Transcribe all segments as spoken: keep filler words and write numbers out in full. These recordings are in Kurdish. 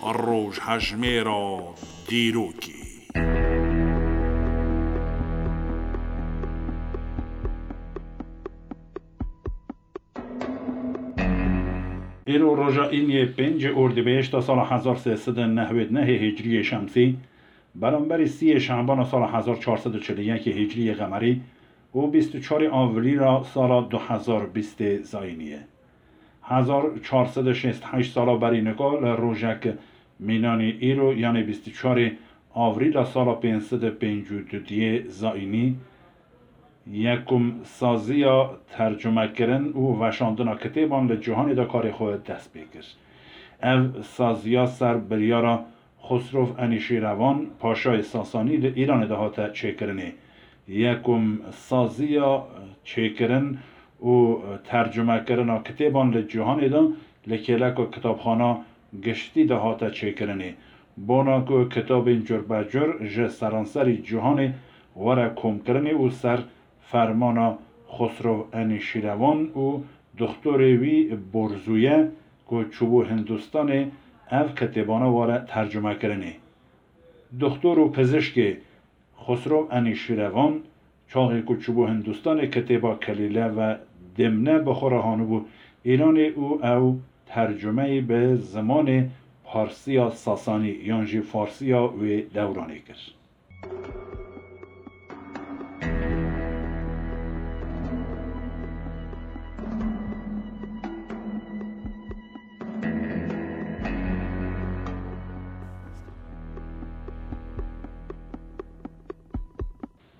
Rojhejmêra dîrokê. Îro roja îniyê pêncê Ordîbehişta sala hezar sê sed û nehwêd nehê Hicriyê Şemsî, beramberî sîyê Şebana sala hezar çar sed û çil û yekê Hicriyê Qemerî û bîst û çarê Avrîla sala du hezar bîstê Zayînî ye. Hezar çar sed û şêst û heşt sala berî nika li rojek mînanî îro, yanê bîst û çarê Avrîla sala pênc sed û pêncî û duyê Zayînî, yekum saziya tercumekirin û veşandina kitêban li cîhanê de karê xwe dest pê kir. Ev saziya ser biryara Xosrov Enîşîrevan, paşayê Sasanî, li Îranê de hate çêkirinê. Yekum saziya çêkirin û tercumekirina kitêban li cîhanê de li kêleka kitabxana giştî de hate çêkirinê. Bona ku kitabên curbecur ji seranserî cîhanê were komkirinê û ser fermana Xosrov Enîşîrevan û doxtorê wî Borzûye ku çûbû Hindistanê, ev kitêbana were tercumekirinê. Doxtor û pizişkê Xosrov Enîşîrevan, çaxê ku çûbû Hindistanê, kitêba Kelîle ve Dimne bi xwe re hanibû Îranê û ew tercumeyî bi zimanê Parsiya Sasanî yan jî Farsiya wê dewranê kir.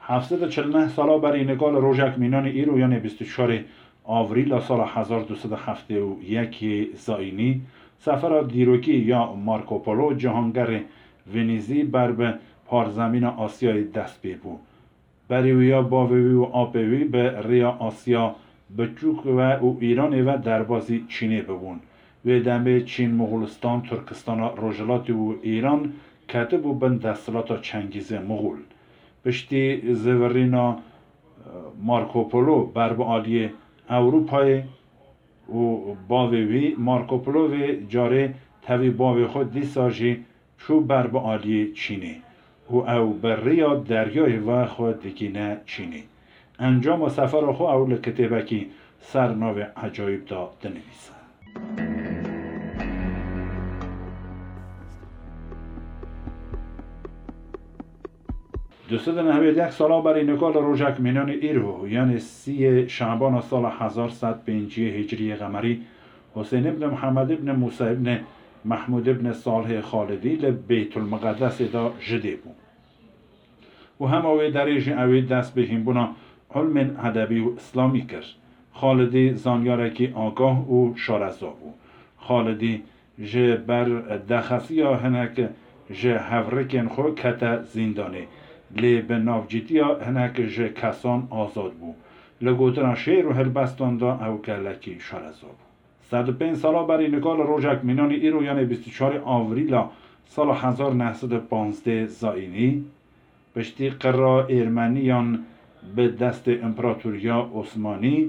Heft sed û çil neh sala berî nika li rojek mînanê îro, yanê bîst û çarê Avrîla sala hezar du sed û heftê û yekê Zayînî, sefera dîrokî ya Marco Polo, cîhangerê Venîzî, ber bi parzemîna Asyayê dest pê bû. Berî wî ya bavê wî û apê wî bi rêya Asya Biçûk ve û Îranê ve derbazî Çînê bibûn. Wê demê Çîn, Moxulistan, Tirkistana Rojhilatî û Îran ketibû bin desthilata Çengîzê Moxul. Piştî zivirîna, e, Marco Polo ber bi aliyê Ewropayê û bavê wî, Marco Polo vê carê tevî bavê xwe dîsa jî çû ber bi aliyê Çînê û ew bi rêya deryayê ve xwe digihîne Çînê. Encama sefera xwe ew li kitêbekî ser navê Ecayîb de dinivîse. Du sed û nehwêd yek sala berî nika li rojek mînanê îro, yanê sîyê Şebana sala hezar sed pênciyê Hicriyê Qemerî, Husên ibn Mihemed ibn Mûsa ibn Mehmûd ibn Salihê Xalidî li Beytulmiqedesê de ji dê bû û hema wê derê jî ew ê dest bi hînbûna ilmên edebî û îslamî kir. Xalidî zanyarekî agah û şareza bû. Xalidî ji ber dexesiya hinek ji hevrikên xwe kete zîndanê, lê bi navcîtiya hinek ji kesan azad bû. Li gotina şêr û helbestan de ew gelekî şareza bû. Sed û pênc sala berî nika li rojek mînanê îro, yanê bîst û çarê Avrîla sala hezar neh sed û panzdeh Zayînî, piştî qira Êrmeniyan bi destê Împeratoriya Osmanî,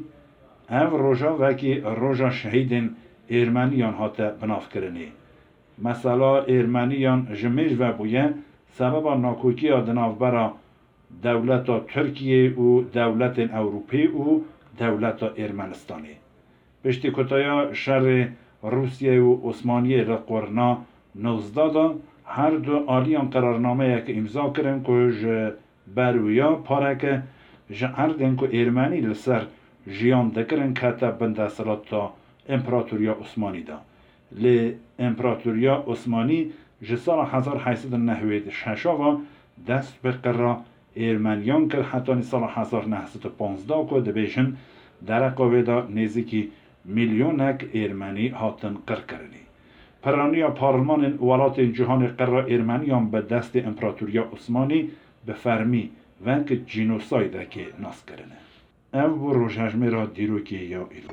ev roja wekî roja şehîdên Êrmeniyan hate binavkirinê. Mesela Êrmeniyan ji mêj ve bûye sebeba nakokiya di navbera dewleta Tirkiyê û dewletên Ewropî û dewleta Êrmenistanê. Piştî kutaya şerê Rûsiyê û Osmaniyê li qurna nozdeh de, her du aliyan qerarnameyek îmza kirin ku ji ber wiya pareke ji erdên ku Êrmenî li ser jiyan dikirin kete bin desthilata Împeratoriya Osmanî de. Lê Împeratoriya Osmanî ji sala hezar heyt sed û nehwêd şeş ve dest bi qira Êrmeniyan kir, hetanî sala hezar neh sed û panzdeh ku dibêjin dereqa wê de nêzîkî milyonek Êrmenî hatin qirkirinê. Piraniya parlemanên welatên cîhanê qira Êrmeniyan bi destê Împeratoriya Osmanî bi fermî wek cînosaydekê nas kirine. Ev bû rojhejmêra dîrokê ya îro.